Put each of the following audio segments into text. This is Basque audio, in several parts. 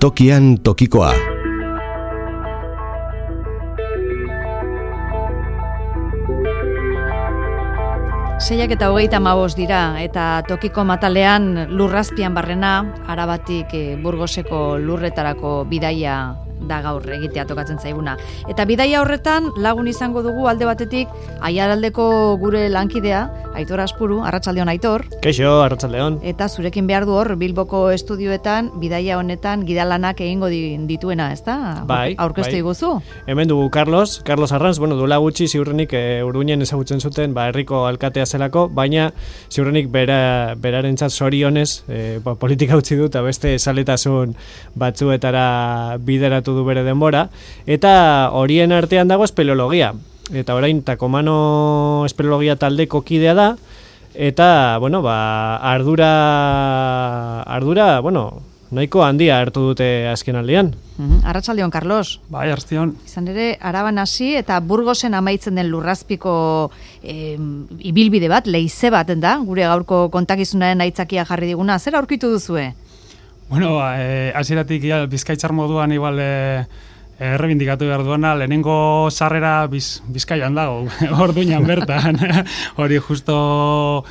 Tokian tokikoa. Seiak eta 35 dira, eta tokiko matalean lurrazpian barrena, Arabatik Burgoseko lurretarako bidaia da gaur egitea tokatzen zaiguna. Eta bidaia horretan lagun izango dugu alde batetik Aiaraldeko gure lankidea, Aitor Aspuru. Arratsaldeon, Aitor. Kaixo, arratsaldeon. Eta zurekin behar du hor Bilboko estudioetan bidaia honetan gidalanak egingo dituena, ezta? Bai, aurkeztu diguzu. Hemen dugu Carlos Arranz, duela gutxi ziurrenik Urduñen ezagutzen zuten, herriko alkatea zelako, baina ziurrenik berarentzat zorionez politika utzi du eta beste esaletasun batzuetara bideratu du bere denbora, eta horien artean dago espeleologia. Eta orain Takomano espeleologia taldeko kidea da, eta, ardura, nahiko handia hartu dute azken aldian. Arratsaldeon, Carlos. Bai, arratsaldeon. Izan ere, Araban hasi eta Burgosen amaitzen den lurrazpiko ibilbide bat, leize bat da, gure gaurko kontakizunaren aitzakia jarri diguna. Zer aurkitu duzue? Hasieratik Bizkaitzar moduan igual errebindikatu behar duena, lehenengo sarrera Bizkaian dago, Orduñan bertan. Hori justo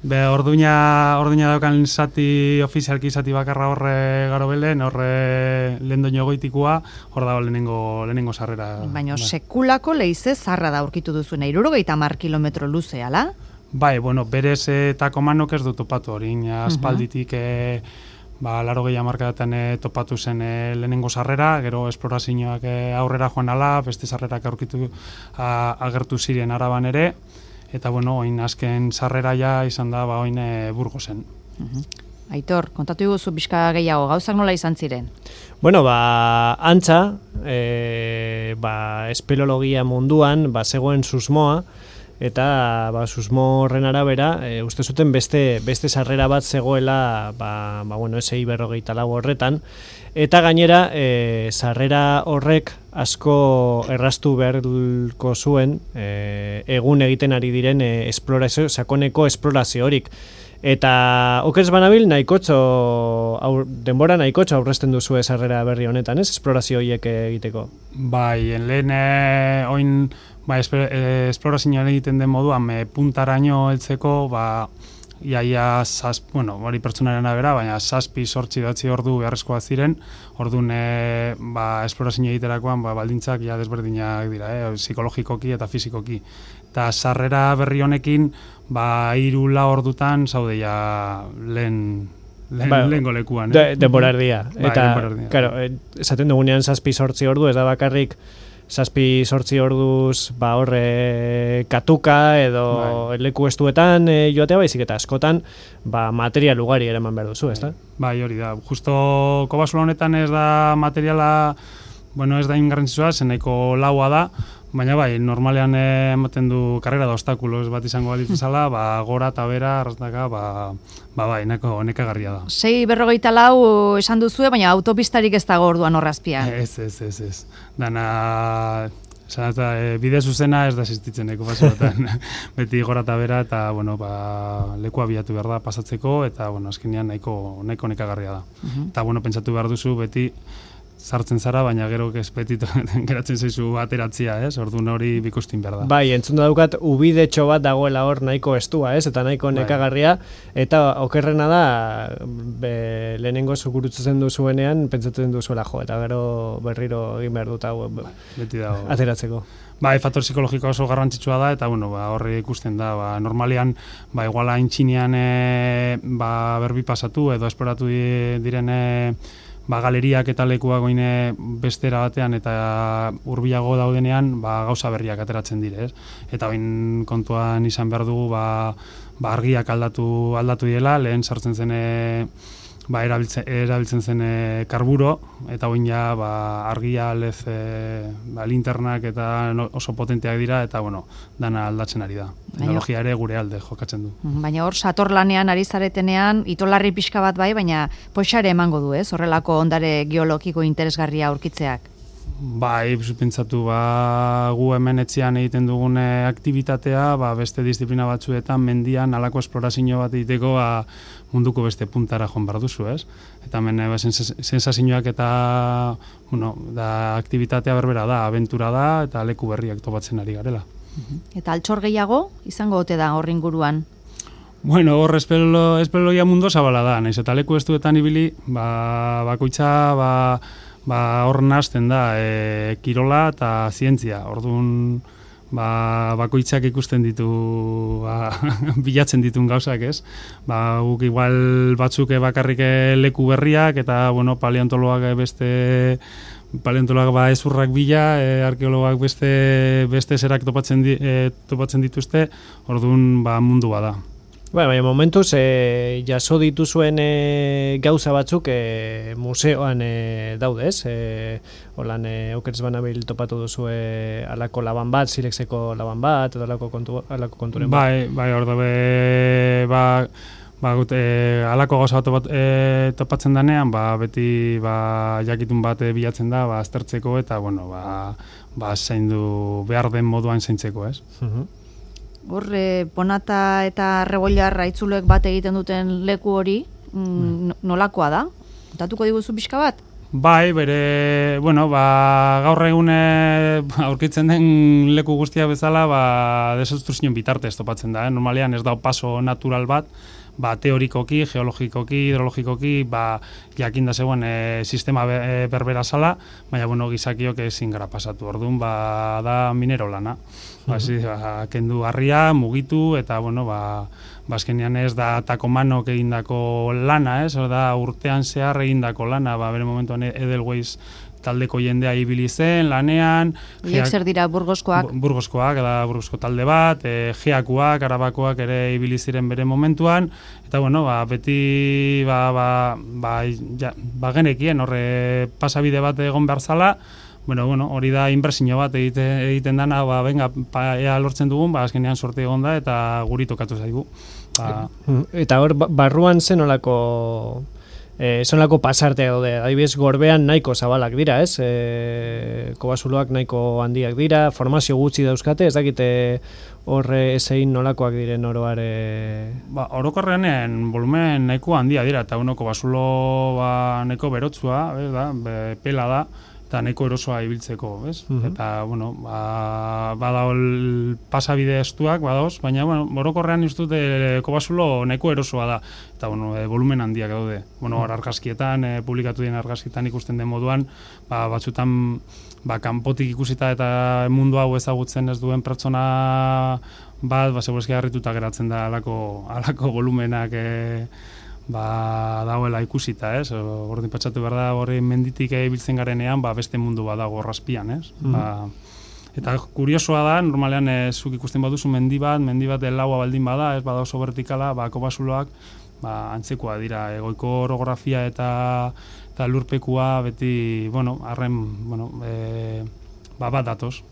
Orduña daukan zati, ofizialki zati bakarra horre garobelen, horre lehen doino goitikoa, hor dago lehenengo sarrera. Baina sekulako leize zarra da aurkitu duzuen, 70 kilometro luze, ala? Bai, berez Takomanok ez du topatu hori, aspalditik 80 hamarkadatan topatu zen lehenengo sarrera, gero esplorazioak aurrera joan ala, beste sarrerak agertu ziren Araban ere, eta oin azken sarrera ja izan da oin Burgosen. Aitor, kontatu iguzu bizka gehiago, gauzak nola izan ziren? Antza, espeleologia munduan, zegoen susmoa, eta susmo horren arabera, uste zuten beste sarrera bat zegoela, esei 54 horretan, eta gainera, sarrera horrek asko erraztu beharko zuen egun egiten ari diren sakoneko esplorazio horik. Eta okerz banabil denbora nahikotxo aurrezten duzu sarrera berri honetan, ez? Esplorazio horiek egiteko. Bai, lehen oin esplorazioa egiten den moduan puntaraino heltzeko, iaia hori pertsonaren abera, baina 7-8 ordu beharrezkoa ziren, orduan esplorazioa egiterakoan baldintzak desberdinak dira, psikologikoki eta fizikoki. Eta sarrera berri honekin, 3-4 ordutan zaude lehen golekuan. Denbora erdia. Eta, esaten dugunean 7-8 ordu, ez da bakarrik 7-8 orduz horre katuka edo leku estuetan joatea baizik eta askotan material ugari eraman behar duzu, ezta? Bai, hori da. Justo Kobazulo honetan ez da materiala, ez da ingarrantzitsua, zeneko laua da, baina normalean ematen du karrera da obstakulos bat izango balitz zala, gora eta bera, arrastaka, nekagarria da. 6:44 esan duzue, baina autopistarik ez dago orduan horrazpian. Ez. Dana, bide zuzena ez da existitzen Kobazulotan. Beti gora eta bera, eta, lekua bilatu behar da pasatzeko, eta, azkenean nahiko nekagarria da. Eta, pentsatu behar duzu, beti sartzen zara, baina gero beti geratzen zaizu ateratzia, ez? Orduan hori bikustin behar da. Bai, entzun daukat ubidetxo bat dagoela hor nahiko estua, ez? Eta nahiko nekagarria, eta okerrena da lehenengo zukurutzen duzuenean pentsatzen duzuela eta gero berriro egin behar dut beti dago ateratzeko. Faktor psikologikoa oso garrantzitsua da, eta horri ikusten da, normalean, igual haintxinean berbi pasatu edo esploratu diren galeriak eta lekuak bestera batean eta hurbilago daudenean gauza berriak ateratzen dire, ez? Eta kontuan izan behar dugu argiak aldatu direla, lehen sartzen zen erabiltzen zen karburo, eta argia lez linternak eta oso potenteak dira, eta dana aldatzen ari da. Teknologia ere gure alde jokatzen du. Baina hor, satorlanean ari zaretenean, itolarri pixka bat baina poxare emango du, ez? Horrelako ondare geologiko interesgarria aurkitzeak. Bai, pentsatu, gu hemen etxean egiten dugun aktibitatea, beste disiplina batzuetan mendian halako esplorazio bat egiteko munduko beste puntara joan behar duzu, ez? Eta hemen sensazioak eta da aktibitatea berbera da, abentura da, eta leku berriak topatzen ari garela. Eta altxor gehiago izango ote da hor inguruan? Bueno, hor espeleologia mundu zabala da, naiz eta leku estuetan ibili, bakoitza, hor nazten da, kirola eta zientzia. Orduan, bakoitzak ikusten ditu, bilatzen ditun gauzak, ez? Guk igual batzuk bakarrik leku berriak, eta, paleontoloak ezurrak bila, arkeologak beste zerak topatzen dituzte, orduan mundu bada. Baina momentuz, jaso dituzuen gauza batzuk museoan daude, ez? Holan, aukeres banabil topatu duzu alako laban bat, Silexeko laban bat, edo alako konturen bat. Bai, hor dabe, alako gauza bat topatzen danean, beti jakitun bat bilatzen da, aztertzeko eta, zaindu behar den moduan zaintzeko, ez? Hor, Ponata eta Rebollarra itzulek bat egiten duten leku hori, nolakoa da? Datuko diguzu pixka bat? Bai, gaur egun aurkitzen den leku guztia bezala, desobstruzioen bitartez topatzen da. Normalean ez da paso natural bat, teorikoki, geologikoki, hidrologikoki, jakin da zegoen sistema berbera zala, baina gizakiok ezin gara pasatu. Orduan, da minero lana. Kendu harria, mugitu, eta, azkenean ez da takomanok egindako lana, ez? Da urtean zehar egindako lana, bere momentuan Edelweiss taldeko jendea ibili zen, lanean. Hiek zer dira, Burgoskoak? Burgoskoak, Burgosko talde bat, Geakoak, Arabakoak ere ibili ziren bere momentuan, eta beti genekien horre pasabide bat egon behar zala, hori da inbertsio bat egiten dana, ea lortzen dugun, azkenean sorte egon da, eta guri tokatu zaigu. Eta hor, barruan zenolako pasartea daude, adibidez Gorbean nahiko zabalak dira, ez? Kobasuloak nahiko handiak dira, formazio gutxi dauzkate, ez dakite horre ezein nolakoak diren oroare? Orokorrean volumen nahiko handia dira, eta Kobasulo nahiko berotzua, pela da, eta nahiko erosoa ibiltzeko, ez? Eta, badaol pasabide estuak, badaoz, baina, orokorrean iztut Kobasulo nahiko erosoa da, eta, volumen handiak daude. Argazkietan, publikatu den argazkietan ikusten den moduan, batzutan, kanpotik ikusita eta mundu hau ezagutzen ez duen pertsona bat, segurazki harrituta geratzen da alako volumenak dagoela ikusita, ez? Ordin patsatu behar da, horri menditik ibiltzen garenean, beste mundu bat dago horrazpian, ez? Eta kuriosoa da, normalean zuk ikusten baduzu mendi bat laua baldin bada, ez bada oso vertikala, Kobasuloak antzekoa dira, egoiko orografia eta lurpekua beti, bat datoz.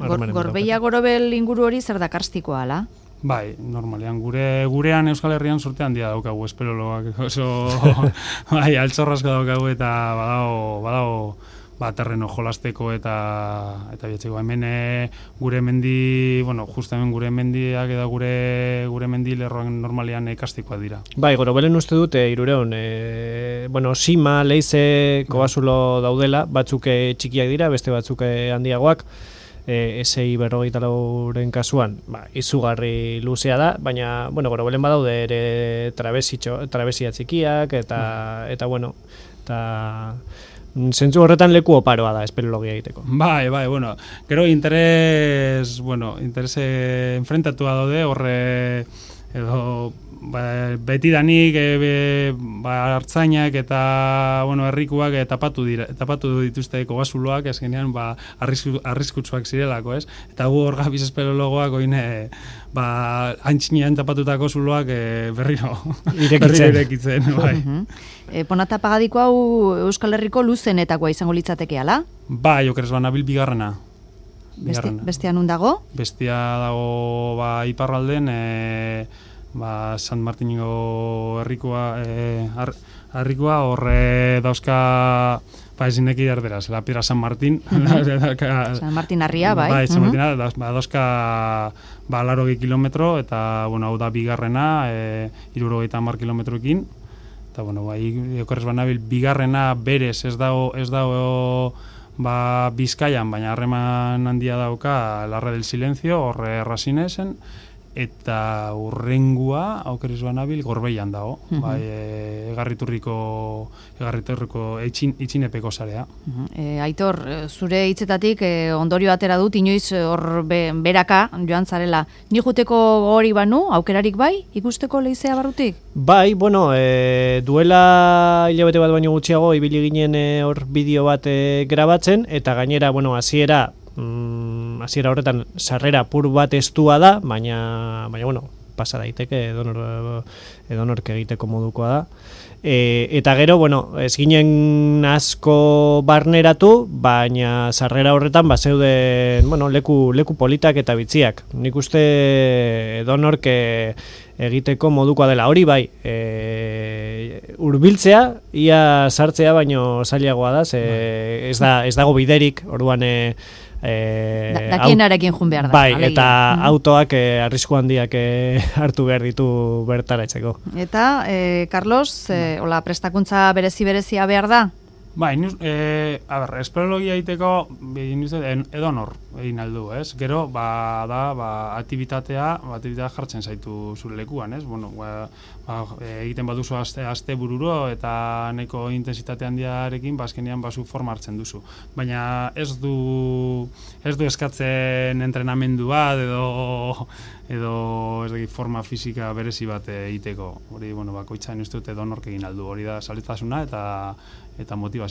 Gorbeia Gorobel inguru hori zer da karstikoa, ala? Bai, normalean, gurean Euskal Herrian sorte handia daukagu, espeleoloak oso altxorrasko daukagu eta badago terreno jolasteko eta biatzeko. Hemen gure mendi, justa hemen gure mendiak eta gure mendi lerroan normalean kastikoak dira. Bai, Gorobelen uste dut, Irureon, Sima, Leize, Kobasulo daudela, batzuk txikiak dira, beste batzuk handiagoak, SI 54ren kasuan, izugarri luzea da, baina, Gorobelen badaude ere trabesia txikiak, eta zentzu horretan leku oparoa da espeleologia egiteko. Bai, gero interes enfrentatua daude, horre, edo, betidanik hartzainak eta herrikuak tapatu dituzte Kobasuloak, eskenean arriskutsuak zirelako, ez? Eta gu hor gabiz espeleologoak oine antxinean tapatutako zuloak berriro irekitzen. Ponata Pagadiko hau Euskal Herriko luzenetakoa izango litzateke, ala? Bai, okeres banabil bigarrena. Bestea nun dago? Bestea dago iparralden, San Martingo herrikoa, horre dauzka Ba, ezin eki erderaz, la Piedra San Martín. San Martín harria, bai. Bai, San Martín, dauzka 80 kilometro, eta, bueno, hau da bigarrena, 70 kilometroekin. Eta, bueno, bai, okorrez banabil, bigarrena berez ez dago ba, Bizkaian, baina harreman handia dauka Larre del Silencio, horre Rasinesen, eta urrengua, aukeriz banabil, Gorbeian dago, bai, egarriturriko itxinepeko sarea. Aitor, zure hitzetatik ondorio atera dut, inoiz hor beraka joan zarela. Ni juteko hori banu, aukerarik bai, ikusteko leizea barrutik? Bai, bueno, duela hilabete bat baino gutxiago, ibili ginen hor bideo bat grabatzen, eta gainera, bueno, hasiera horretan sarrera pur bat estua da, baina bueno, pasa daiteke edonork egiteko modukoa da. Eta gero, bueno, ez ginen asko barneratu, baina sarrera horretan zeuden, bueno, leku politak eta bitziak. Nik uste edonork egiteko modukoa dela. Hori bai, hurbiltzea, ia sartzea baino zailagoa da, ez dago biderik, orduan dakienarekin jun behar da. Bai, eta autoak arrisku handiak hartu behar ditu bertaratzeko. Eta, Carlos, hola, prestakuntza berezia behar da? Bai, espeleologia egiteko edonor egin aldu, ez? Gero, aktibitatea jartzen zaitu zure lekuan, ez? Bueno, egiten baduzu aste bururo eta nahiko intensitate handiarekin, azkenean bazu forma hartzen duzu. Baina ez du eskatzen entrenamendu bat edo ez dakit forma fisika berezi bat egiteko. Hori, bueno, bakoitza ez dut edonork egin aldu. Hori da zaletasuna eta motivazioa.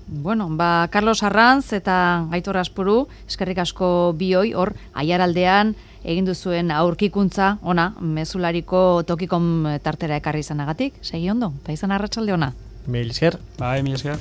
Bueno, Carlos Arranz eta Aitor Aspuru, eskerrik asko bioi, hor, Aiaraldean egin duzuen aurkikuntza, ona, mezulariko tokikom tartera ekarri izanagatik, segi ondo, eta izan arratsalde ona. Mil esker. Bai, mil esker.